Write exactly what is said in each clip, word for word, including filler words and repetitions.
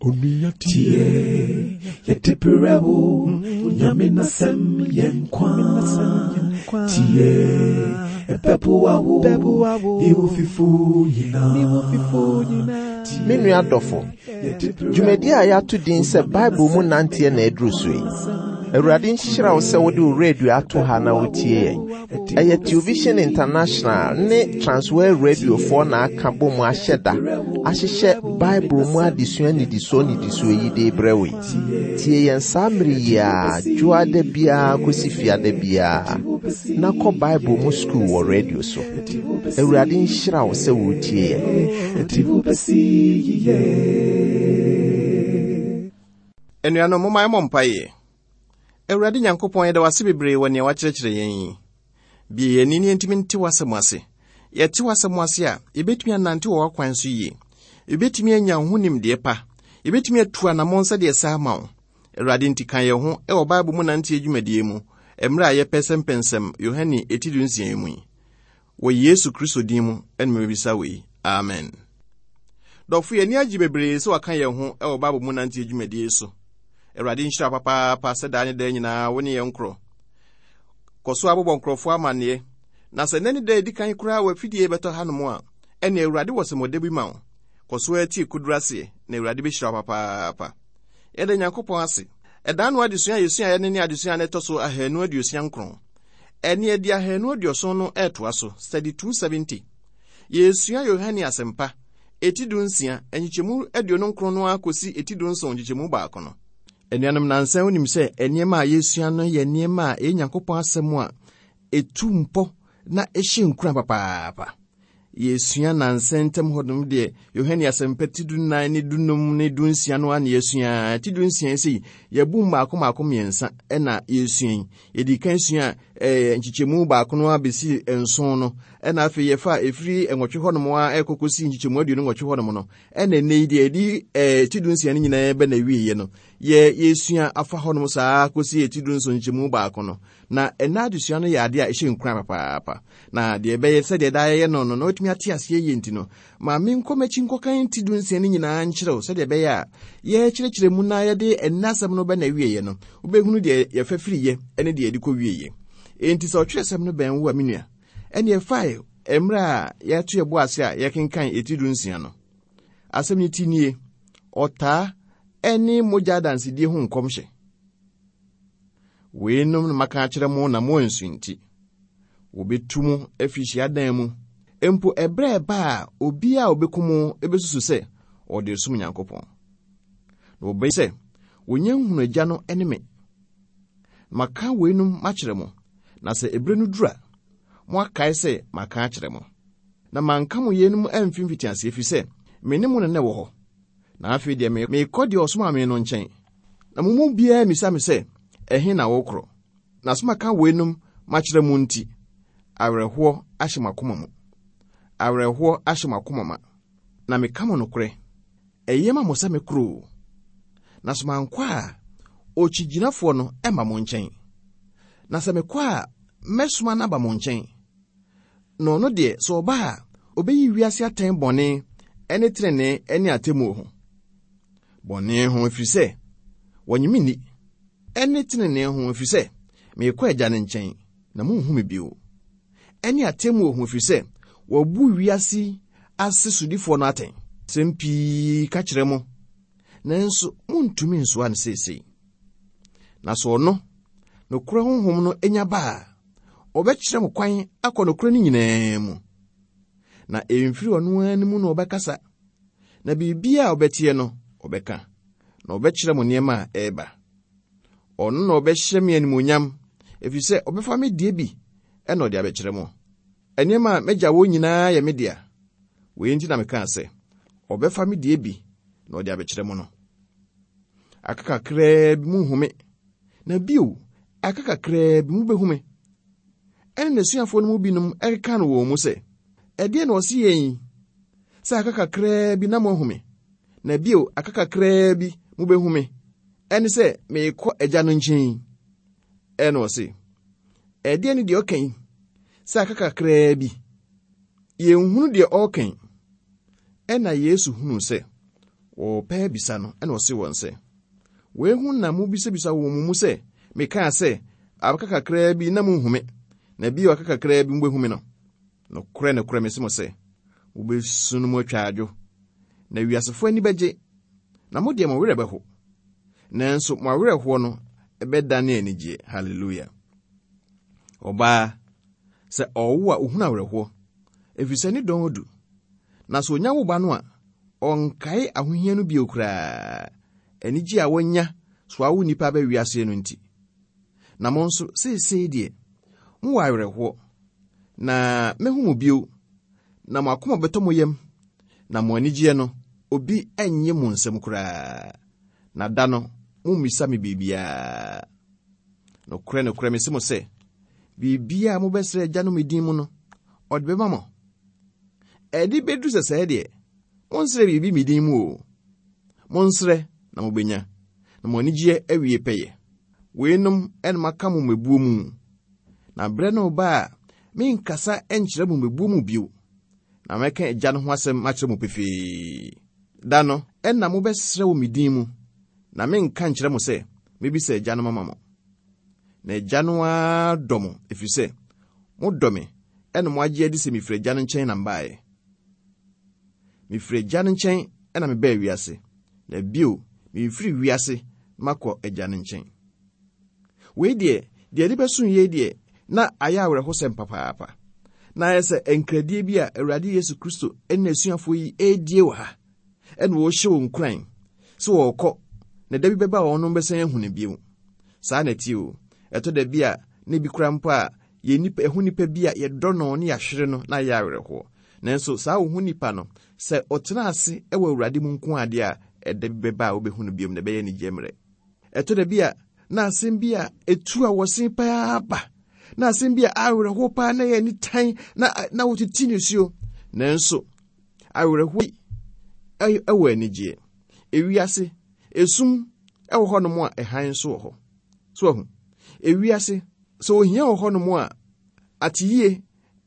Onua tie, yɛde brɛ wo, Nyame n'asɛm yɛ nkwa. Tie, ɛbɛboa wo, ne wo fifo nyinaa. Me nua dɔfo, dwumadi a yɛato din sɛ Bible mu nanteɛ na aduru so yi. Awurade nhyira wo sɛ wode wo radio ato ha na wotie yɛn. Ɛyɛ Television International ne Transworld Radiofoɔ na aka bɔ mu ahyɛ da ahyehyɛ Bible mu adesua nnidisoɔ nnidisoɔ yi de brɛ wo yi. Tie yɛn saa mmere yi a dwoada biara kɔsi fiada biara na kɔ Bible mu sukuu wɔ radio so. Awurade nhyira wo sɛ woretie yɛn. Anuanom, momma yɛmmɔ mpaeɛ. Awurade Nyankopɔn, yɛda wo ase bebree wɔ nea woakyerɛkyerɛ yɛn yi. Bue yɛn ani na yɛntumi nte w'asɛm ase. Yɛte w'asɛm ase a, yɛbɛtumi anante wɔ w'akwan so yie. Yɛbɛtumi anya wo ho nimdeɛ pa. Yɛbɛtumi atu anammɔn sɛdeɛ ɛsɛ ama wo. Awurade nti ka yɛn ho wɔ Bible mu nanteɛ dwumadie mu, mmerɛ a yɛpɛsɛmpɛnsɛm Yohane eti dunsia yi mu yi. Wɔ Yesu Kristo din mu ɛna mebisa wei. Amen. Dɔfo, yɛn ani agye bebree sɛ waka yɛn ho wɔ Bible mu nanteɛ dwumadie so. Awurade nhyira papaapa sɛ daa ne daa nyinaa wo ne yɛn nkorɔ. Kɔ so abobɔ nkurɔfoɔ amanneɛ. Na sɛ nnɛ ne da edi kan koraa wɔ afidie bɛtɔ hanom a, ɛne Awurade wɔ sɛmɔdɛ bi ma wo. Kɔ so atie koduru aseɛ na Awurade bɛhyira wo papaapa. Yɛda Nyankopɔn ase. Ɛdaa no adesua a yɛsuaeɛ ne ne adesua a ɛtɔ so ahanu aduosia nkron. Ɛne ɛde ahanu aduɔson no ɛretoa so, study two seventy. Yɛsua Yohane Asɛmpa, eti du nsia, nkyekyɛmu aduonu nkron no akɔsi eti du nson nkyekyɛmu baako no. Anuanom, nansa wonim sɛ nneɛma a yɛsua no yɛ nneɛma a ɛyɛ Nyankopɔn asɛm a ɛtu mpɔ na ɛhyɛ nkuran papaapa. Yɛsua nansa ntam hɔnom deɛ Yohane Asɛmpa ti du nnan ne du num ne du nsia no a na yɛsua. Ti du nsia sei, yɛbu mmaako mmaako mmiɛnsa ɛna yɛsua yi. Yɛdi kan sua, ɛɛ, nkyekyɛmu baako no abɛsi nson no, ɛna afei yɛfa ɛfiri nwɔtwe hɔnom a ɛkɔ kɔsi nkyekyɛmu aduonu nwɔtwe hɔnom no. Ɛna ɛnnɛ yi deɛ yɛdi, ɛɛ, ti du nsia no nyinaa bɛ na awieeɛ no, yɛ, yɛsua afa hɔnom saa kɔsi ti du nson nkyekyɛmu baako no. Na ɛnna adesua no yɛ adeɛ a ɛhyɛ nkuran papaapa. Na deɛ ɛbɛyɛ sɛdeɛ daa yɛyɛ no no, na watumi ate aseɛ yie nti no, ma menkɔ m'akyi nkɔkan ti du nsia no nyinaa nkyerɛ wo sɛdeɛ ɛbɛyɛ a yɛkyerɛkyerɛ mu na yɛde ɛnna asɛm no bɛ na awieeɛ no, wobɛhunu deɛ yɛfa firiiɛ ne deɛ yɛde kɔ wieeɛ. Enti sɛ ɔtwerɛsɛm no bɛn wo a, me nua, ɛne ɛfae mmerɛ a yɛato yɛbo ase a yɛkenkan eti du nsia no. Asɛm no ti nie, ɔtaa ɛne mogya adansedie ho nkɔmhyɛ. Weinom na maka akyerɛ mo na mo ansu nti. Wɔbɛtu mo afiri hyiadan mu. Mpo ɛberɛ a ɛba a obiara a ɔbɛku mo bɛsusu sɛ ɔde som Nyankopɔn. Na wɔbɛyɛ sɛ wɔnya nhunu Agya no ne me. Maka weinom makyerɛ mo, na sɛ ɛberɛ no duru a, moakae sɛ maka akyerɛ mo. Na manka mo yeinom amfi mfitiaseɛ, ɛfiri sɛ me ne mo na na ɛwɔ hɔ. Na afei deɛ merekɔ deɛ ɔsomaa me no nkyɛn. Na mo mu biara mmisa me sɛ, ɛhe na wokorɔ? Na sɛ maka weinom makyerɛ mo nti, awerɛhoɔ ahyɛ mo akoma mu. Awerɛhoɔ ahyɛ mo akoma ma. Na meka mo nokorɛ, ɛyɛ ma mo sɛ mekorɔ o. Na sɛ mankɔ a, okyigyinafoɔ no ɛmma mo nkyɛn. Na sɛ mekɔ a, mɛsoma no aba mo nkyɛn. Na ɔno deɛ, sɛ ɔba a, ɔbɛyi wiase atɛn bɔne ɛne tenenee ɛne atemmuo ho. Bɔne ho ɛfiri sɛ, wɔnnye me nni. Ɛne tenenee ho ɛfiri sɛ, merekɔ Agya no nkyɛn, na monhu me bio. Ɛne atemmuo ho ɛfiri sɛ, wɔabu wiase ase sodifoɔ no atɛn. Sɛm pii ka kyerɛ mo, nanso montumi nsoa no seesei. Na sɛ ɔno, nokorɛ honhom no anya ba a, ɔbɛkyerɛ mo kwan akɔ nokorɛ no nyinaa mu. Na ɛmfiri ɔno ara no mu na ɔbɛkasa, na biribiara a ɔbɛteɛ no, ɔbɛka, na ɔbɛkyerɛ mo nneɛma a ɛreba. Ɔno na ɔbɛhyɛ me animuonyam, ɛfiri sɛ ɔbɛfa me deɛ bi ɛna ɔde abɛkyerɛ mo. Nneɛma a m'agya wɔ nyinaa yɛ me dea. Wei nti na mekaa sɛ, ɔbɛfa me deɛ bi na ɔde abɛkyerɛ mo no. Aka kakraa bi munhu me, na bio, aka kakraa bi mubɛhu me. Ɛne n'asuafoɔ no mu binom ɛkeka no wɔn mu sɛ, ɛdeɛ na ɔse yɛn yi, sɛ aka kakraa bi na moahu me, na bio, aka kakraa bi mubɛhu me, ɛne sɛ merekɔ Agya no nkyɛn. Ɛna ɔse, ɛdeɛ ne deɛ ɔka yi, sɛ aka kakraa bi, yɛnhunu deɛ ɔreka yi. Ɛna Yesu hunuu sɛ Wɔpɛɛ bisa no, ɛna ɔse wɔn sɛ, wei ho na mobisabisa wɔ mo mu sɛ, mekaa sɛ, aka kakraa bi na monhu me, na bio aka kakraa bi mobɛhu me no. Nokorɛ nokorɛ mese mo sɛ, mobɛsu no mu atwa adwo, na wiasefoɔ ani bɛgye, na mo deɛ mo werɛ bɛho. Nanso mo awerɛhoɔ no ɛbɛdane anigyeɛ. Hallelujah. Ɔbaa, sɛ ɔwo a ohunu awerɛhoɔ, ɛfiri sɛ ne dɔn adu. Na sɛ onya wo ba no a, ɔnkae ahohia no bio koraa, anigye a wɔnya so awo nnipa aba wiase no nti. Na mo nso, seesei deɛ, mowɔ awerɛhoɔ, na mehu mo bio, na mo akoma bɛtɔ mo yam, na mo anigyeɛ no, obi ɛnnye mo nsam koraa. Na da no, mommisa me biribiara. Nokorɛ nokorɛ mese mo sɛ, biribiara a mobɛsrɛ Agya no me din mu no, ɔde bɛma mo. Ɛde bɛduru sɛ sɛɛ deɛ, monsrɛ biribi me din mu o. Monsrɛ na mobɛnya, na mo anigyeɛ awie pɛyɛ. Weinom ɛna maka mo mmebuo mu. Na berɛ no ba a, menkasa nkyerɛ mo mmebuo mu bio, na mɛka Agya no ho asɛm akyerɛ mo pefee. Da no, ɛna mobɛsrɛ wɔ me din mu, na menka nkyerɛ mo sɛ, mebisa Agya no mama mo. Na Agya no ara dɔ mo, ɛfiri sɛ, modɔ me, ɛna mo agye adi sɛ mefiri Agya no nkyɛn na mbaeɛ. Mefiri Agya no nkyɛn ɛna mebaa wiase, na bio, mefiri wiase makɔ Agya no nkyɛn. Wei deɛ, deɛ ɛde bɛso yei deɛ, na ayɛ awerɛhosɛm papaapa. Na ayɛ sɛ nkradie bi a Awurade Yesu Kristo ne n'asuafoɔ yi ɛredie wɔ ha, ɛna wɔrehyɛ wɔn nkuran sɛ wɔrekɔ, na da bi bɛba a wɔn bɛsan ahu no bio. Saa na ɛte o. Ɛtɔ da bi a, na ebi kora mpo a, yɛn nipa, ɛho nipa bi a yɛdɔ no ne yɛahwere no na ayɛ awerɛhoɔ. Nanso saa wo ho nipa no, sɛ ɔtena ase ɛwɔ Awurade mu nko adeɛ a, ɛda bi bɛba a wobɛhu no bio na ɛbɛyɛ anigye mmerɛ. Ɛtɔ da bi a, na asɛm bi a ɛtu a wɔsen paa ba, na asɛm bi a awerɛhoɔ paa na ɛyɛ nitan na, na wotete nisuo. Nanso awerɛhoɔ yi ɛwɔ anigyeɛ. Ewiase, esum ɛwɔ hɔnom a ɛhan nso wɔ hɔ. So ahu, ewiase, sɛ ohia wɔ hɔnom a, ateyie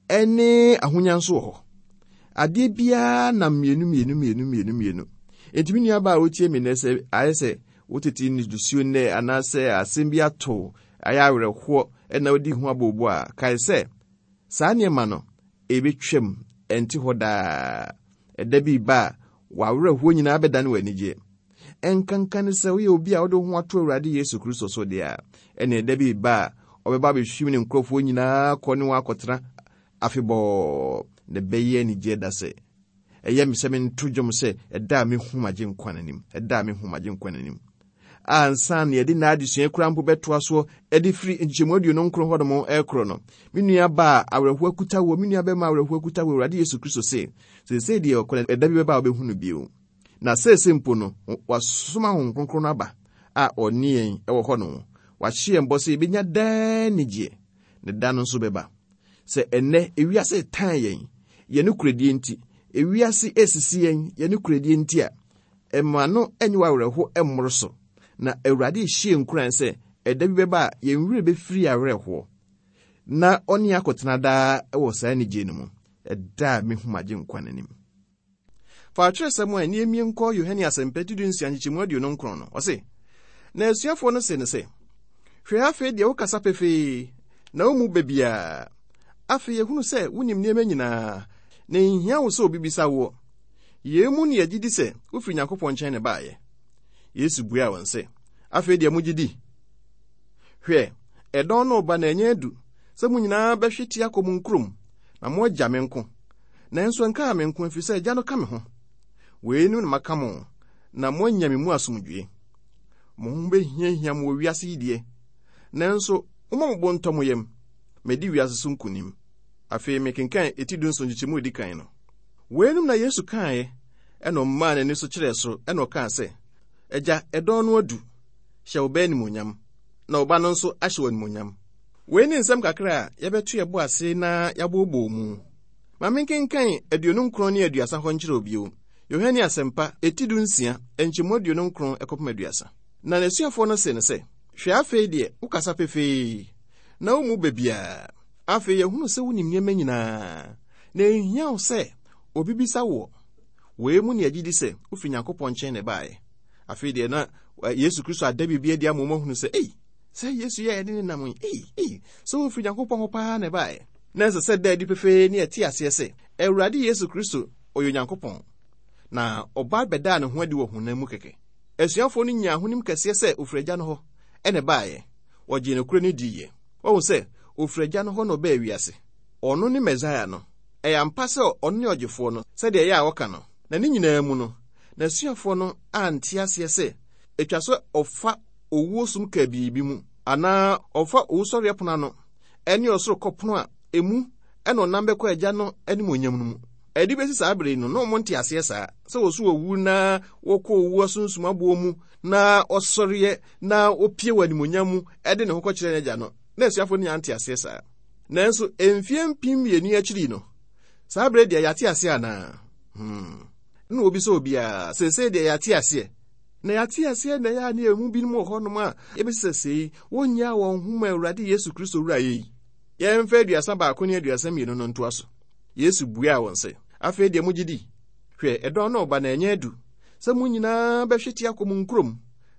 ɛne ahonya nso wɔ hɔ. Adeɛ biara nam mmienu mmienu mmienu mmienu mmienu. Enti me nua baa a wotie me nnɛ sɛ ayɛ sɛ wotete nisuo nnɛ anaasɛ asɛm bi ato ayɛ awerɛhoɔ ɛna wodi ho abobo a, kae sɛ saa nneɛma no ɛbɛtwam, ɛnte hɔ daa. Ɛda bi ba a, w'awerɛhoɔ nyinaa bɛdane w'anigyeɛ. Ɛnkanka ne sɛ woyɛ obi a wode wo ho ato Awurade Yesu Kristo so deɛ a, ɛne ɛda bi ba a ɔbɛba abɛhwim ne nkurɔfoɔ nyinaa kɔ ne wɔn akɔtena afebɔɔ, na ɛbɛyɛ anigyeɛ da sɛ ɛyɛ me sɛ mento dwom sɛ ɛda a mehu m'agye nkwa n'anim, ɛda a mehu m'agye nkwa n'anim. Ansa na yɛde n'adesua kura mpo bɛtoa soɔ ɛde firi nkyekyɛmu aduonu nkron hɔnom ɛkorɔ no, me nua ba a awerɛhoɔ akuta wɔ, me nua bɛma awerɛhoɔ akuta wɔ Awurade Yesu Kristo se, seesei deɛ ɔkɔ ɛda bi bɛba a wobɛhu no bio. Na seesei mpo no, wasoma Honhom Kronkron no aba a ɔne yɛn ɛwɔ hɔ no. Wahyɛ yɛn bɔ sɛ yɛbɛnya daa anigyeɛ, na da no nso bɛba. Sɛ ɛnnɛ ewiase tan yɛn, yɛn nokorɛdie nti, ewiase esisi yɛn, yɛn nokorɛdie nti a, ɛma no ɛnyɛ w'awerɛho ɛmmoro so. Na Awurade hyɛ nkuran sɛ ɛda bi bɛba a yɛn werɛ bɛfiri awerɛhoɔ, na ɔne akɔtena daa ɛwɔ saa anigyeɛ no mu, ɛda a mehu m'agye nkwa n'anim. Fa atwerɛsɛm a ɛne emie nkɔ Yohane Asɛmpa ti du nsia nkyekyɛmu aduonu nkron no, ɔse, na asuafoɔ no se no sɛ, hwɛ afei deɛ wokasa pefee, na wo mu baabiara. Afei yɛhunu sɛ wonim nneɛma nyinaa, na nhia wo sɛ obi bisa woɔ. Yei mu ne yɛgye di sɛ wofiri Nyankopɔn nkyɛn na ɛbaeɛ. Yesu buaa wɔn sɛ, afei deɛ mogye di? Hwɛ, ɛdɔn no reba na ɛnyɛ adu sɛ mo nyinaa bɛhwete akɔ mo nkurom, na moagya me nko. Nanso ɛnkaa me nko, ɛfiri sɛ Agya no ka me ho. Weinom na maka mo, na moanya me mu asomdwoe. Mo ho bɛhiahia mo wɔ wiase yi deɛ, nanso momma mo bo ntɔ mo yam. Madi wiase so nkonim. Afei mekenkan eti du nson nkyekyɛmu a edi kan no. Weinom na Yesu kaeɛ, ɛna ɔmaa n'ani so kyerɛɛ soro, ɛna ɔkaa sɛ, Agya, ɛdɔn no adu, hyɛ wo ba animuonyam, na wo ba no nso ahyɛ wo animuonyam. Wei ne nsɛm kakra a yɛbɛto yɛbo ase na yɛabooboo mu. Ma menkenkan aduonu nkron ne aduasa hɔ nkyerɛ wo bio. Yohane Asɛmpa, eti du nsia, nkyɛmu aduonu nkron ɛkɔpem aduasa. Na n'asuafoɔ no se no sɛ, hwɛ afei deɛ wokasa pefee, na wo mu baabiara. Afei yɛhunu sɛ wonim nneɛma nyinaa, na enhia wo sɛ obi bisa woɔ. Wei mu ne agye di sɛ wofiri Nyankopɔn nkyɛn na ɛbaeɛ. Afei deɛ na Yesu Kristo ada biribi adi ama wɔn ahunu sɛ, ei, sɛ Yesu yɛ yɛde ne nam yi, ei, ei, sɛ wofiri Nyankopɔn hɔ paa na ɛbaeɛ. Na ɛsɛ sɛ da adi pefee ne ɛte aseɛ sɛ Awurade Yesu Kristo ɔyɛ Onyankopɔn, na ɔba bɛdaa ne ho adi wɔ honam mu kɛkɛ. Asuafoɔ no nyaa ahonim kɛseɛ sɛ ofiri Agya no hɔ ɛna ɛbaeɛ. Wɔgyee nokorɛ no diiɛ. Wɔhu sɛ ofiri Agya no hɔ na ɔbaa wiase. Ɔno ne Mesaia no. Ɛyɛ ampa sɛ ɔno ne ɔgyefoɔ no, sɛdeɛ ɛyɛ a wɔka no. Na ne nyinaa mu no, n'asuafoɔ no ante aseɛ sɛ ɛtwa sɛ ɔfa owuo sum kabii mu, anaa ɔfa owusɔreɛ pono ano, ɛne ɔsoro kɔpono a emu ɛna ɔnam bɛkɔ Agya no animuonyam no mu. Ɛde bɛsi saa bere no, na ɔmo nte aseɛ saa, sɛ wɔso owu na wɔkɔ owu asunsum aboɔ mu, na ɔsɔreɛ na opie wɔ animuonyam mu ɛde ne ho kɔkyerɛ n'agya no. Na asuafoɔ no nya nte aseɛ saa. Nanso mfie mpem mmienu akyiri no, saa bere deɛ yɛate aseɛ anaa? Hmm. Na obi sɛ obiara, seesei deɛ yɛate aseɛ. Na yɛate aseɛ na ɛyɛ a ne emu binom wɔ hɔnom a ebesi sɛ sei, wɔnnyaa wɔn ho ma Awurade Yesu Kristo wura yɛ yi. Yɛmfa aduasa baako ne aduasa mmienu no ntoa so. Yesu buaa wɔn sɛ, afei deɛ mogye di? Hwɛ, ɛdɔn no ɔba na ɛnyɛ adu sɛ mo nyinaa bɛhwete akɔ mo nkurom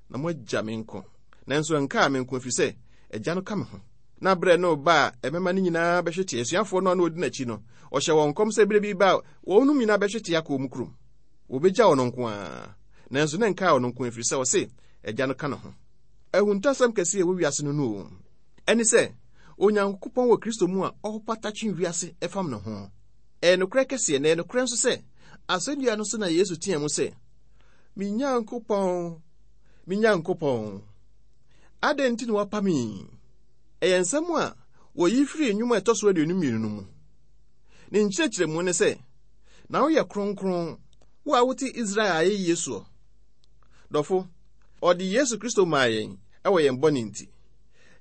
na moagya me nko. Nanso ɛnkaa me nko, ɛfiri sɛ Agya no ka me ho. Na berɛ no ba a ɛmɛma no nyinaa bɛhwete. Asuafoɔ no a na ɔdi n'akyi no, ɔhyɛ wɔn nkɔm sɛ berɛ bi ba a wɔn nyinaa bɛhwete akɔ wɔn kurom. Wɔbɛgya wɔn nko ara. Nanso na ɛnkaa wɔn nko, ɛfiri sɛ ɔse Agya no ka ne ho. Ahuntasɛm kɛseɛ a ɛwɔ wiase no no o, ɛne sɛ Onyankopɔn wɔ Kristo mu a ɔpata twe wiase ɛfam ne ho. Ɛyɛ nokorɛ kɛseɛ, na ɛyɛ nokorɛ nso sɛ asɛnnua no so na Yesu teɛ mu sɛ, me Nyankopɔn, me Nyankopɔn, adɛn nti na woapa me? Ɛyɛ nsɛm a wɔyi firi nnwom a ɛtɔ so aduonu mmienu no mu. Ne nkyerɛkyerɛmu ne sɛ, na woyɛ kronkron, wo a wote Israel ayɛyie soɔ. Dɔfo, ɔde Yesu Kristo maa yɛn ɛwɔ yɛn bɔne nti.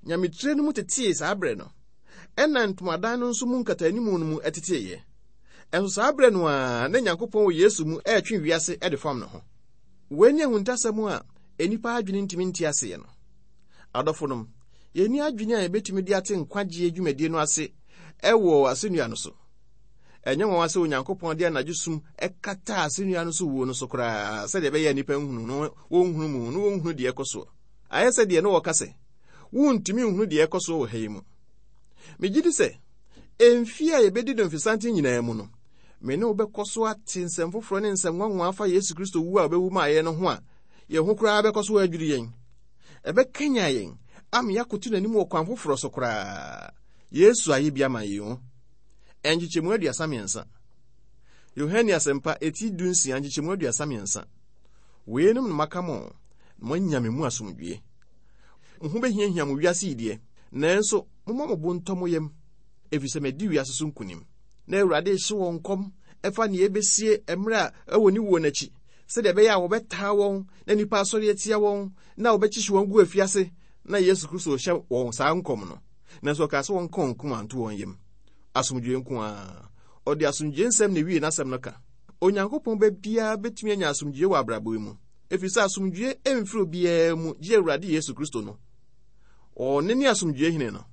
Nyametire no mu tetee saa berɛ no, ɛna ntomadan no nso mu nkatanimu no mu ɛteteeɛ. Ɛnso saa berɛ no a na Nyankopɔn wɔ Yesu mu ɛretwe wiase ɛde fam ne ho. Wei ne ahuntasɛm a nnipa adwene ntumi nte aseɛ no. Adɔfonom, yɛnni adwene a yɛbɛtumi de ate nkwagyeɛ dwumadie no ase ɛwɔ asɛnnua no so. Ɛnyɛ nwanwa sɛ Onyankopɔn de anadwo sum ɛkata asɛnnua no so wuo no so koraa, sɛdeɛ ɛbɛyɛ nnipa nhunu no, wɔnhunu mu no, wɔnhunu deɛ ɛkɔ soɔ. Ayɛ sɛ deɛ no wɔka sɛ, wontumi nhunu deɛ ɛkɔ soɔ wɔ ha yi mu. Megye di sɛ, mfie a yɛbɛdi no mfesanten nyinaa mu no, me ne wo bɛkɔ so ate nsɛm foforɔ ne nsɛm nwanwa afa Yesu Kristo wu a ɔbɛwu maa yɛn no ho a, yɛn ho koraa bɛkɔ so adwiri yɛn. Ɛbɛkanya yɛn ama yɛakoto n'anim wɔ kwan foforɔ so koraa. Yesu ayɛ bi ama yɛn o. Nkyekyɛmu aduasa mmiɛnsa. Yohane Asɛmpa eti du nsia nkyekyɛmu aduasa mmiɛnsa. Weinom na maka mo, na moanya me mu asomdwie. Mo ho bɛhiahia mo wiase yi deɛ, nanso momma mo bo ntɔ mo yam, ɛfiri sɛ madi wiase so nkonim. Na Awurade hye wɔn nkɔm ɛfa nea ɛbɛsie mmerɛ a ɛwɔ ne wuo n'akyi, sɛdeɛ ɛbɛyɛ a wɔbɛtaa wɔn na nnipa asɔre atia wɔn na wɔbɛkyekye wɔn gu afiase. Na Yesu Kristo hyɛ wɔn saa nkɔm no, nanso ɔkaa sɛ wɔnka wɔn koma nto wɔn yam. Asomdwoe nko ara. Ɔde asomdwoe nsɛm na ewie n'asɛm no ka. Onyankopɔn ba biara bɛtumi anya asomdwoe wɔ abrabɔ yi mu, ɛfiri sɛ asomdwoe mfiri obiara mu gye Awurade Yesu Kristo no. Ɔne ne asomdwoe hene no.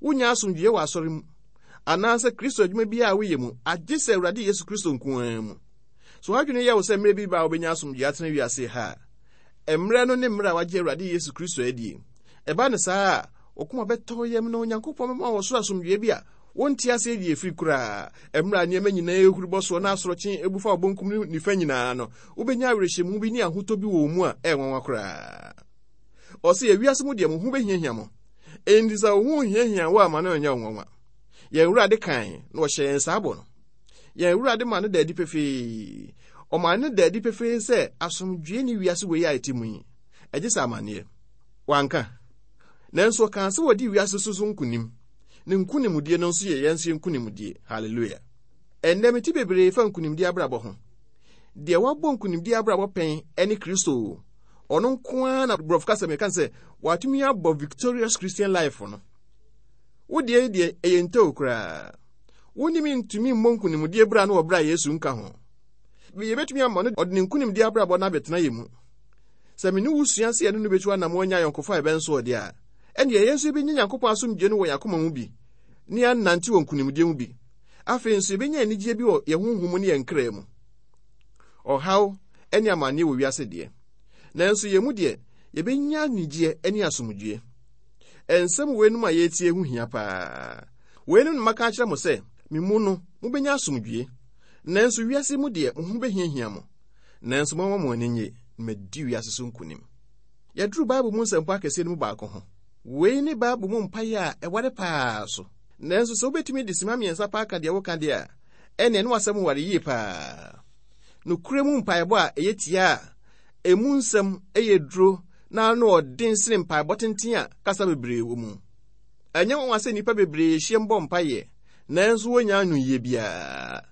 Wonya asomdwoe wɔ asɔre mu anaasɛ Kristo adwuma biara a woyɛ mu, agye sɛ Awurade Yesu Kristo nko ara mu. So adwene yɛ wo sɛ mmerɛ bi ba a wobɛnya asomdwoe atena wiase ha a, mmerɛ no ne mmerɛ a wagye Awurade Yesu Kristo adie. Ɛba ne saa a, wo koma bɛtɔ yam na Onyankopɔn bɛma wɔ soro asomdwoe bi a wonte aseɛ deɛ ɛfiri koraa. Mmerɛ a nneɛma nyinaa ehuri bɔ soɔ na asorɔkye ebu fa wo bonkum ne nifa nyinaa no, wobɛnya awerɛhyɛmu bi ne ahotɔ bi wɔ wo mu a ɛyɛ nwanwa koraa. Ɔse ewiase mu deɛ mo ho bɛhiahia mo. Enti sɛ wo ho hiahia wo ama no nyɛ wo nwanwa. Yɛn Awurade kan na ɔhyɛ yɛn saa bɔ no. Yɛn Awurade ma no da adi pefee. Ɔma no da adi pefee sɛ asomdwoe ne wiase wei a ɛte mu yi, ɛgye sɛ amanneɛ. Wanka. Nanso ɔkaa sɛ wɔdi wiase so so nkonim. Ne nkonimdie no nso yɛ yɛn nso yɛn nkonimdie. Hallelujah. Ɛnnɛ mete bebree fa nkonimdie abrabɔ ho. Deɛ wabɔ nkonimdie abrabɔ pɛn ɛne Kristo. Ɔno nko ara na borɔfo kasa meka sɛ watumi abɔ victorious Christian life no. Wo deɛ deɛ ɛyɛ ntɛw koraa. Wonim ntumi mmɔ nkonimdie bra no wɔ bra Yesu nka ho. Yɛbɛtumi ama no ɔde ne nkonimdie abrabɔ no abɛtena yɛ mu. Sɛ me ne wo sua sɛ yɛne no bɛtu anam anya ayɔnkofa a ɛbɛn so ɔde a, ɛnneɛ yɛn nso yɛbɛnya Nyankopɔn asomdwoe no wɔ yɛn akoma mu bi, ne yɛanante wɔ nkonimdie mu bi. Afei nso yɛbɛnya anigyeɛ bi wɔ yɛn honhom mu ne yɛn kra mu. Ɔhaw ne amanneɛ wɔ wiase deɛ, nanso yɛn mu deɛ, yɛbɛnya anigyeɛ ne asomdwoeɛ. Nsɛm weinom a yɛretie ho hia paa. Weinom na maka akyerɛ mo sɛ, me mu no, mobɛnya asomdwoeɛ. Nanso wiase mu deɛ, mo ho bɛhiahia mo. Nanso momma mo ani nnye, na madi wiase so nkonim. Yɛduru Bible mu nsɛmpɔ akɛseɛ no mu baako ho. Wei ne Bible mu mpaeɛ a ɛware paa so. Nanso sɛ wobɛtumi de sima mmiɛnsa paa ka deɛ woka deɛ a, ɛnneɛ ne w'asɛm ware yie paa. Nokorɛ mu mpaebɔ a ɛyɛ tia a emu nsɛm yɛ duro na ano ɔden sene mpaebɔ tenten a kasa bebree wɔ mu. Ɛnyɛ nwanwa sɛ nnipa bebree hyiam bɔ mpaeɛ, nanso wɔnnya anoyie biara.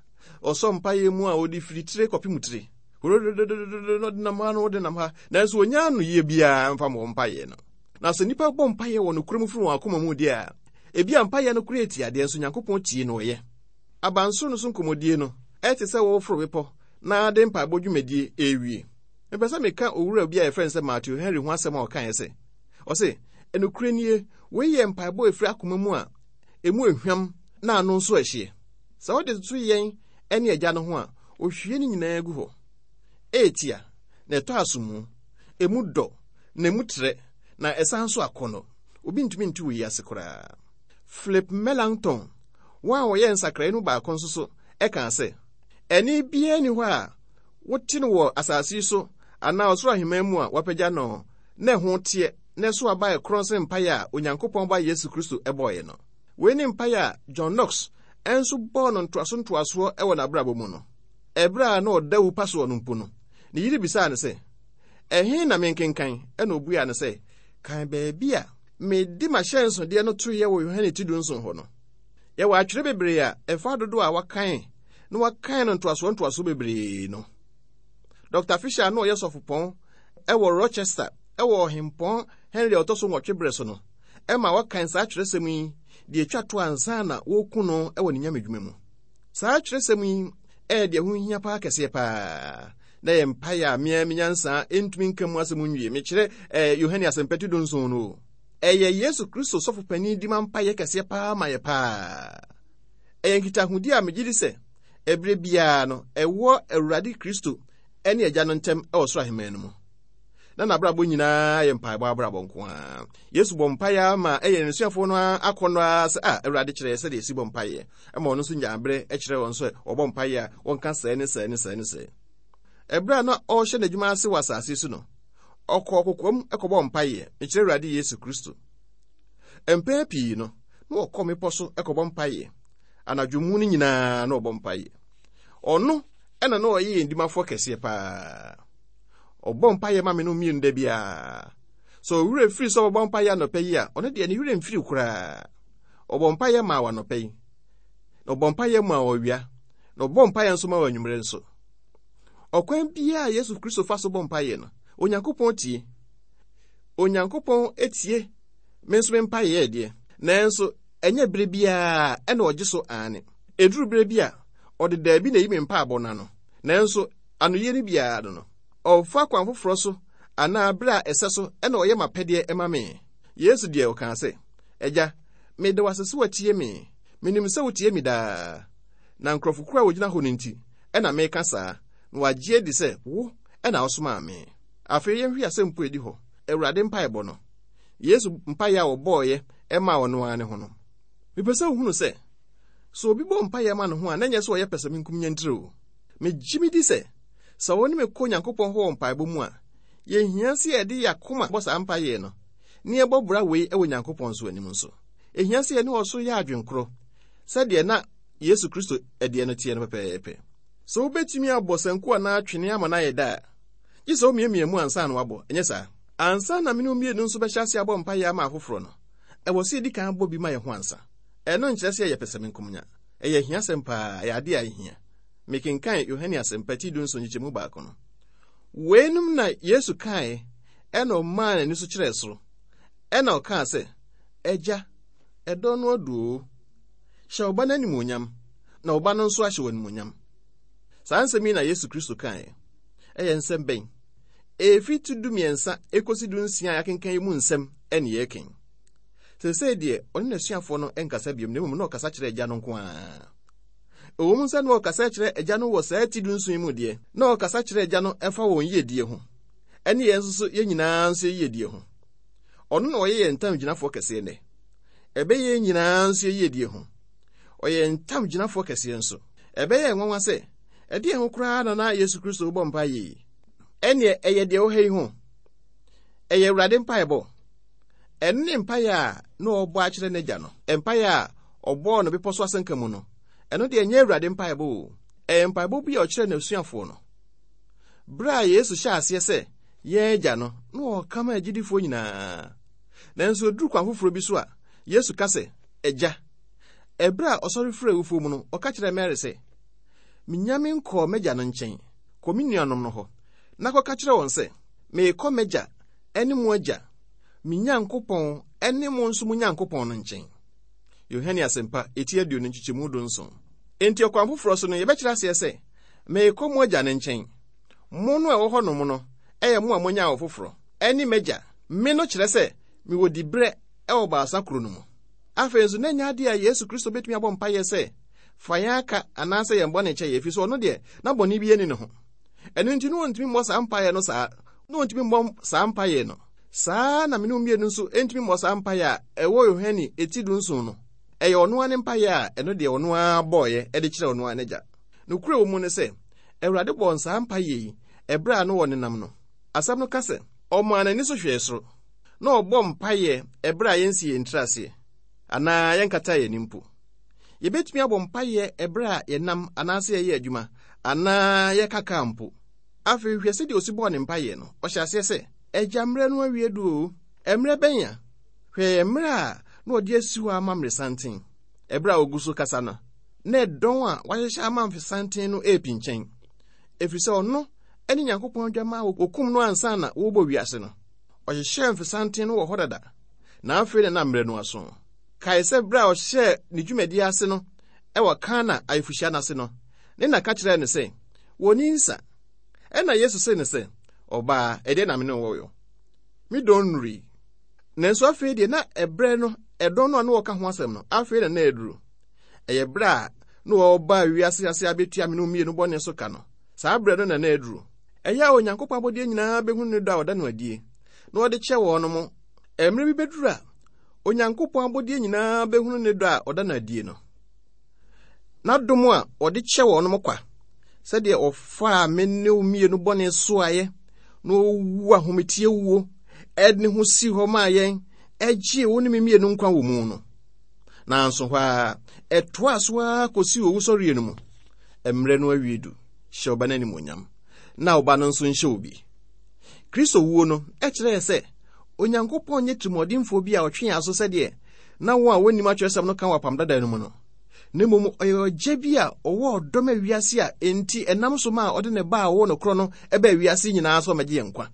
Ɔsɔ mpaeɛ mu a ɔde firi tire kɔpem tire. Horodododododo na ɔde nam ha na ɔde nam ha, nanso wɔnnya anoyie biara mfa ma wɔn mpaeɛ no. Na sɛ nnipa bɔ mpaeɛ wɔ nokorɛ mu firi wɔn akoma mu deɛ a, ebi a mpaeɛ no koraa tia deɛ, nso Nyankopɔn tie na ɔyɛ. Abansoro no so nkɔmmɔdie no, ɛte sɛ wɔreforo bepɔ na de mpaebɔ dwumadie ɛrewie. Mepɛ sɛ meka owura bi a yɛfrɛ no sɛ Matthew Henry ho asɛm a ɔkaeɛ sɛ, ɔse, ɛnokorɛ nie, wei yɛ mpaebɔ a ɛfiri akoma mu a emu ehwam na ano nso ɛhyeɛ. Sɛ wode toto yɛn ne agya no ho a, ohwie ne nyinaa gu hɔ. Ɛɛtia, na ɛtɔ asomu, emu dɔ, na emu trɛ, na ɛsan nso akɔnnɔ. Obi ntumi nte wei ase koraa. Philip Melanchthon, wɔn a wɔyɛ nsakrae no baako nso so, ɛkaa sɛ, ɛne biara nni hɔ a wote no wɔ asase yi so anaa ɔsoro ahemman mu a wɔapagya no na ɛho teɛ na ɛso aba a ɛkorɔn sene mpaeɛ a Onyankopɔn Ba Yesu Kristo bɔeɛ no. Wei ne mpaeɛ a John Knox nso bɔɔ no ntoaso ntoasoɔ wɔ n'abrabɔ mu no. Ɛberɛ a na ɔda wu pa soɔ no mpo no, ne yere bisaa no sɛ, ɛhe na menkenkan? Ɛna obuaa no sɛ, kan baabi a mede m'ahyɛnsodeɛ no toeɛ wɔ Yohane ti dunson hɔ no. Yɛwɔ atwerɛ bebree a ɛfa dodoɔ a wakan na wakan no ntoasoɔ ntoasoɔ bebree no. Doctor Fisher na ɔyɛ sɔfopɔn ɛwɔ Rochester ɛwɔ ɔhempɔn Henry a ɔtɔ so nwɔtwe berɛ so no, ɛma wakan saa twerɛsɛm yi deɛ etwa to ansa na wɔreku no ɛwɔ ne nyamedwuma mu. Saa twerɛsɛm yi ɛyɛ deɛ ho hia paa kɛseɛ paa. Na yɛ mpaeɛ a mmea me nyansa ntumi nka mu asɛm nwie. Mekyerɛ ɛɛ Yohane asɛmpɛti dunson no. Ɛyɛ Yesu Kristo sɔfo panin di ma mpaeɛ kɛseɛ paa ma yɛ paa. Ɛyɛ nkitahodi a megye di sɛ ɛberɛ biara no ɛwɔ Awurade Kristo ɛne Agya no ntam ɛwɔ soro ahemman no mu. Na n'abrabɔ nyinaa yɛ mpaebɔ abrabɔ nko ara. Yesu bɔ mpaeɛ ama ɛyɛ n'asuafoɔ no akɔnnɔ ara sɛ, a Awurade kyerɛ sɛdeɛ esi bɔ mpaeɛ. Ɛma ɔno nso nya aberɛ kyerɛ wɔn sɛ ɔbɔ mpaeɛ a wɔnka sɛɛ ne sɛɛ ne sɛɛ ne sɛɛ. Ɛberɛ a na ɔrehyɛ n'adwuma ase wɔ asase so no, ɔkɔɔ kokoam kɔbɔ mpaeɛ, mekyerɛ Awurade Yesu Kristo. Mpɛn pii no, na ɔkɔ mmepɔ so kɔbɔ mpaeɛ. Anadwo mu no nyinaa na ɔbɔ mpaeɛ. Ɔno ɛna na ɔyɛ yɛn dimafoɔ kɛseɛ paa. Ɔbɔ mpaeɛ ma me no mmienu da biara. Sɛ ɔwerɛ firi sɛ ɔbɛbɔ mpaeɛ anɔpa yi a, ɔno deɛ ne werɛ mfiri koraa. Ɔbɔ mpaeɛ ma wɔ anɔpa yi, na ɔbɔ mpaeɛ ma wɔ awia, na ɔbɔ mpaeɛ nso ma wɔ anwummerɛ nso. Ɔkwan biara a Yesu Kristo fa so bɔ mpaeɛ no, Onyankopɔn tie. Onyankopɔn etie me nso me mpaeɛ deɛ, nanso ɛnyɛ bere biara ɛna ɔgye so aane. Ɛduru bere bi a, ɔde daabi na eyi me mpaebɔ no ano, nanso anoyie no biara no no, ɔfa kwan foforɔ so anaa bere a ɛsɛ so ɛna ɔyɛ m'apɛdeɛ ɛma me. Yesu deɛ ɔkaa sɛ, Agya, meda wo ase sɛ woatie me. Menim sɛ wotie me daa. Na nkurɔfokuo a wɔgyina hɔ no nti, ɛna meka saa, na wɔagye adi sɛ wo ɛna wosomaa me. Afei yɛnhwɛ asɛm po edi hɔ, Awurade mpaebɔ no. Yesu mpaeɛ a ɔbɔeɛ ɛmaa ɔno ara ne ho no. Mepɛ sɛ wohunu sɛ, sɛ obi bɔ mpaeɛ ma ne ho a, na ɛnyɛ sɛ ɔyɛ pɛsɛmenkomenya ntiri o. Megye me di sɛ, sɛ wo ne me kɔ Onyankopɔn hɔ wɔ mpaebɔ mu a, yɛhia sɛ yɛde yɛn akoma bɔ saa mpaeɛ no, na yɛbɔ bra wei wɔ Onyankopɔn nso anim nso. Ehia sɛ yɛne ɔsoro yɛ adwenkorɔ, sɛdeɛ na Yesu Kristo ɛdeɛ no teɛ no pɛpɛɛpɛ. Sɛ wobɛtumi abɔ sanku anaa twene ama no ayɛ da a, gye sɛ womiamia mu ansa na woabɔ, ɛnyɛ saa? Ansa na me ne wo mmienu nso bɛhyɛ ase abɔ mpaeɛ ama afoforɔ no, ɛwɔ sɛ yɛdi kan bɔ bi ma yɛn ho ansa. Ɛno nkyerɛ sɛ yɛyɛ pɛsɛmenkomenya. Ɛyɛ ahiasɛm paa, ɛyɛ adeɛ a ɛhia. Mekenkan Yohane asɛmpa ti dunson nkyekyɛmu baako no. Weinom na Yesu kaeɛ, ɛna ɔmaa n'ani so kyerɛɛ soro. Ɛna ɔkaa sɛ, Agya, ɛdɔ no adu o. Hyɛ wo ba no animuonyam, na wo ba no nso ahyɛ wo animuonyam. Saa nsɛm yi na Yesu Kristo kaeɛ. Ɛyɛ nsɛm bɛn? Ɛfiri ti du mmiɛnsa ekosi du nsia a yɛakenkan yi mu nsɛm ɛne yɛreken. Seesei deɛ, ɔne n'asuafoɔ no nkasa biom, na mmom na ɔkasa kyerɛ Agya no nko ara. Ɛwɔ mu sɛ na ɔkasa kyerɛ Agya no wɔ saa ti dunson yi mu deɛ, na ɔkasa kyerɛ Agya no ɛfa wɔn yiedie ho, ɛne yɛn nso so yɛn nyinaa nso yiedie ho. Ɔno na ɔyɛ yɛn ntam gyinafoɔ kɛseɛ nnɛ. Ɛbɛyɛ yɛn nyinaa nso yiedie ho. Ɔyɛ ntam gyinafoɔ kɛseɛ nso. Ɛbɛyɛ nwanwa sɛ, ɛdeɛn ho koraa na na Yesu Kristo bɔ mpaeɛ yi? Ɛneɛ ɛyɛ deɛ ɛwɔ ha yi ho. Ɛyɛ Awurade mpaebɔ. Ɛno ne mpaeɛ a na ɔbɔ akyerɛ n'agya no. Mpaeɛ a ɔbɔɔ no bepɔ so asɛnka mu no, ɛno deɛ ɛnyɛ Awurade mpaebɔ o. Ɛyɛ mpaebɔ bi a ɔkyerɛ n'asuafoɔ no. Berɛ a Yesu hyɛɛ aseɛ sɛ yɛn agya no, na ɔka ma agyidifoɔ nyinaa. Nanso oduru kwan foforɔ bi so a, Yesu ka sɛ, Agya. Ɛberɛ a ɔsɔre firi awufoɔ mu no, ɔka kyerɛɛ Mary sɛ, Menya me nkɔɔ m'agya no nkyɛn, kɔ me nuanom no hɔ, na kɔka kyerɛ wɔn sɛ, meekɔ m'agya ne mo agya, me Nyankopɔn ne mo nso mo Nyankopɔn no nkyɛn. Yohane Asɛmpa, eti aduonu nkyekyɛmu dunson. Enti ɔkwan foforɔ so no, yɛbɛkyerɛ aseɛ sɛ, meekɔ mo agya no nkyɛn. Mo no a ɛwɔ hɔnom no, ɛyɛ mo a moanya awo foforɔ, ɛne m'agya. Me no kyerɛ sɛ, mewɔ diberɛ ɛwɔ baasa koro no mu. Afei nso, na ɛnyɛ adeɛ a Yesu Kristo bɛtumi abɔ mpaeɛ sɛ, fa yɛn aka anaasɛ yɛn bɔne kyɛ yɛn, ɛfiri sɛ ɔno deɛ, na bɔne bi ani ne ho. Ɛno nti, na ɔntumi mmɔ saa mpaeɛ no saa, na ɔntumi mmɔ saa mpaeɛ no. Saa na me ne wo mmienu nso ntumi mmɔ saa mpaeɛ a ɛwɔ Yohane eti dunson no. Ɛyɛ ɔno ara ne mpaeɛ a ɛno deɛ ɔno ara bɔeɛ de kyerɛ ɔno ara n'agya. Nokorɛ wɔ mu ne sɛ, Awurade bɔɔ saa mpaeɛ yi ɛberɛ a na wɔnenam no. Asɛm no ka sɛ, ɔmaa n'ani so hwɛɛ soro, na ɔbɔ mpaeɛ ɛberɛ a yɛnsi yɛn tiri aseɛ, anaa yɛnkata yɛn ani mpo. Yɛbɛtumi abɔ mpaeɛ ɛberɛ a yɛnam anaasɛ yɛyɛ adwuma, anaa yɛkaka mpo. Afei hwɛ sɛdeɛ osi bɔɔ ne mpaeɛ no. Ɔhyɛ aseɛ sɛ, Agya, mmerɛ no awie du o. Mmerɛ bɛn a? Hwɛ mmerɛ a na ɔde asi hɔ ama mmeresanten. Ɛberɛ a ogu so kasa no, na ɛdɔn a wahyehyɛ ama mfesanten no ɛrepinkyɛn. Ɛfiri sɛ ɔno ne Nyankopɔn adwammaa a wɔkum no ansa na wɔrebɔ wiase no. Ɔhyehyɛɛ mfesanten no wɔ hɔ dada, na afei na na mmerɛ no aso. Kae sɛ berɛ a ɔhyɛɛ ne dwumadie ase no ɛwɔ Kana ayeforɔhyia no ase no, ne na ka kyerɛɛ no sɛ, wɔnni nsa. Ɛna Yesu see no sɛ, ɔbaa, ɛdeɛ na me ne wo wɔ? Me dɔn nnurui. Nanso afei deɛ na ɛberɛ no, ɛdɔn no a na wɔka ho asɛm no, afei na na aduru. Ɛyɛ berɛ a na wɔba wiase ase abɛtua me ne wo mmienu bɔne so ka no. Saa berɛ no na na aduru. Ɛyɛ a Onyankopɔn abɔdeɛ nyinaa bɛhunu ne dɔ a ɔda no adie, na ɔde kyɛ wɔn mo. Mmerɛ bi bɛduru a, Onyankopɔn abɔdeɛ nyinaa bɛhunu ne dɔ a ɔda no adie no. N'adom a ɔde kyɛ wɔn mo kwa, sɛdeɛ ɔfaa me ne wo mmienu bɔne soaeɛ, na ɔwu ahometie wuo, ɛde ne ho sii hɔ maa yɛn, ɛgyee wo ne me mmienu nkwa wɔ mu no. Nanso hɔ a, ɛtoaa so ara kɔsii owusɔreɛ no mu. Mmerɛ no awie du, hyɛ ɔba no animuonyam, na ɔba no nso nhyɛ obi. Kristo wuo no ɛkyerɛɛ sɛ Onyankopɔn nyɛ tirimɔdenfoɔ bi a ɔtwe yɛn aso sɛdeɛ na wɔn a wɔnnim atwerɛsɛm no ka wɔ apam dada no mu no. Na mmom ɔyɛ ɔgya bi a ɔwɔ ɔdɔ ma wiase a enti ɛnam so ma a ɔde ne ba a ɔwɔ no korɔ no ɛbaa wiase nyinaa sɛ ɔmmɛgye yɛn nkwa.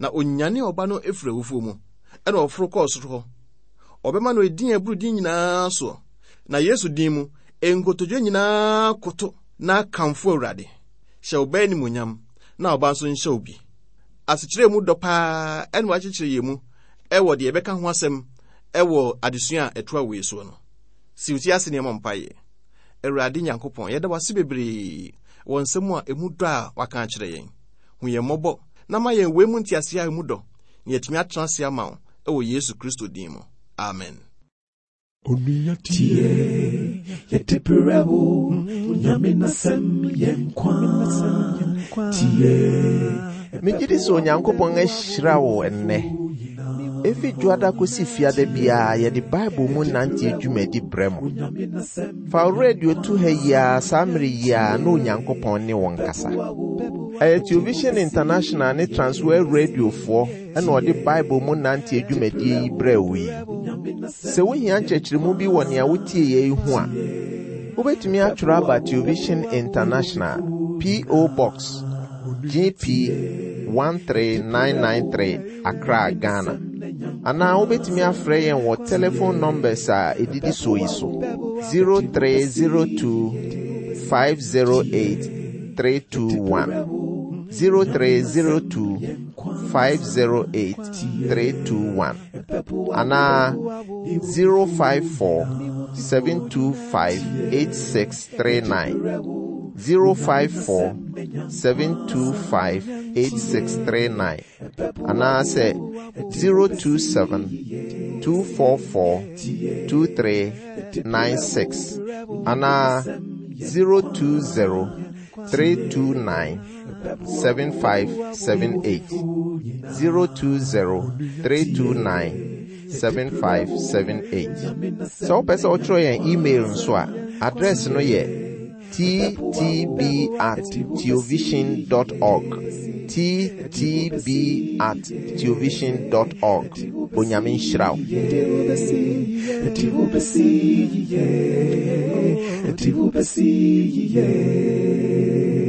Na onyane ɔba no efiri awufoɔ mu, ɛna ɔforo kɔɔ soro hɔ. Ɔbɛma no edin a ɛboro din nyinaa soɔ. Na Yesu din mu, nkotodwe nyinaa koto na akamfo Awurade. Hyɛ ɔba animuonyam, na ɔba nso nhyɛ obi. Asekyerɛ mu dɔ paa ɛna wakyekyere yɛn mu ɛwɔ deɛ yɛbɛka ho asɛm ɛwɔ adesua a ɛtoa wei soɔ no. Si wo ti ase nneɛma mpaeɛ. Awurade Nyankopɔn, yɛda wo ase bebree wɔ nsɛm a emu dɔ a waka akyerɛ yɛn. Hu yɛn mmɔbɔ na ma yɛn wei mu nteaseɛ a emu dɔ, na yɛatumi atena ase ama wo ɛwɔ Yesu Kristo din mu. Amen. Onua tie, yɛde brɛ wo, Onyame n'asɛm yɛ nkwa. Tie, Megye di sɛ Onyankopɔn ahyira wo ɛnnɛ. Efi dwoada kɔsi fiada biara yɛde Bible mu nante dwumadi brɛ mo. Fa wo radio to ha yi ara saa mmere yi ara na Onyankopɔn ne wo nkasa. Ɛyɛ Television International ne Transworld Radiofoɔ ɛna ɔde Bible mu nante dwumadie yi brɛ wo yi. Sɛ wohia nkyerɛkyerɛmu bi wɔ nea wotie yɛ yi ho a, wobɛtumi atwerɛ aba Television International, P O. Box G P one three nine nine three, Accra, Ghana. Anaa wobɛtumi afrɛ yɛn wɔ telephone numbers a ɛdidi soɔ yi so: zero three zero two five zero eight three two one, zero three zero two five zero eight three two one, anaa zero five four seven two five eight six three nine zero five four seven two five eight six three nine anaasɛ zero two seven two four four two three nine six anaa zero two zero three two nine seven five seven eight zero two zero three two nine seven five seven eight. Sɛ wopɛ sɛ wotwerɛ yɛn email nso a, address no yɛ ttb at theovision dot org ttb at theovision dot org. Onyame nhyira wo. Yeah.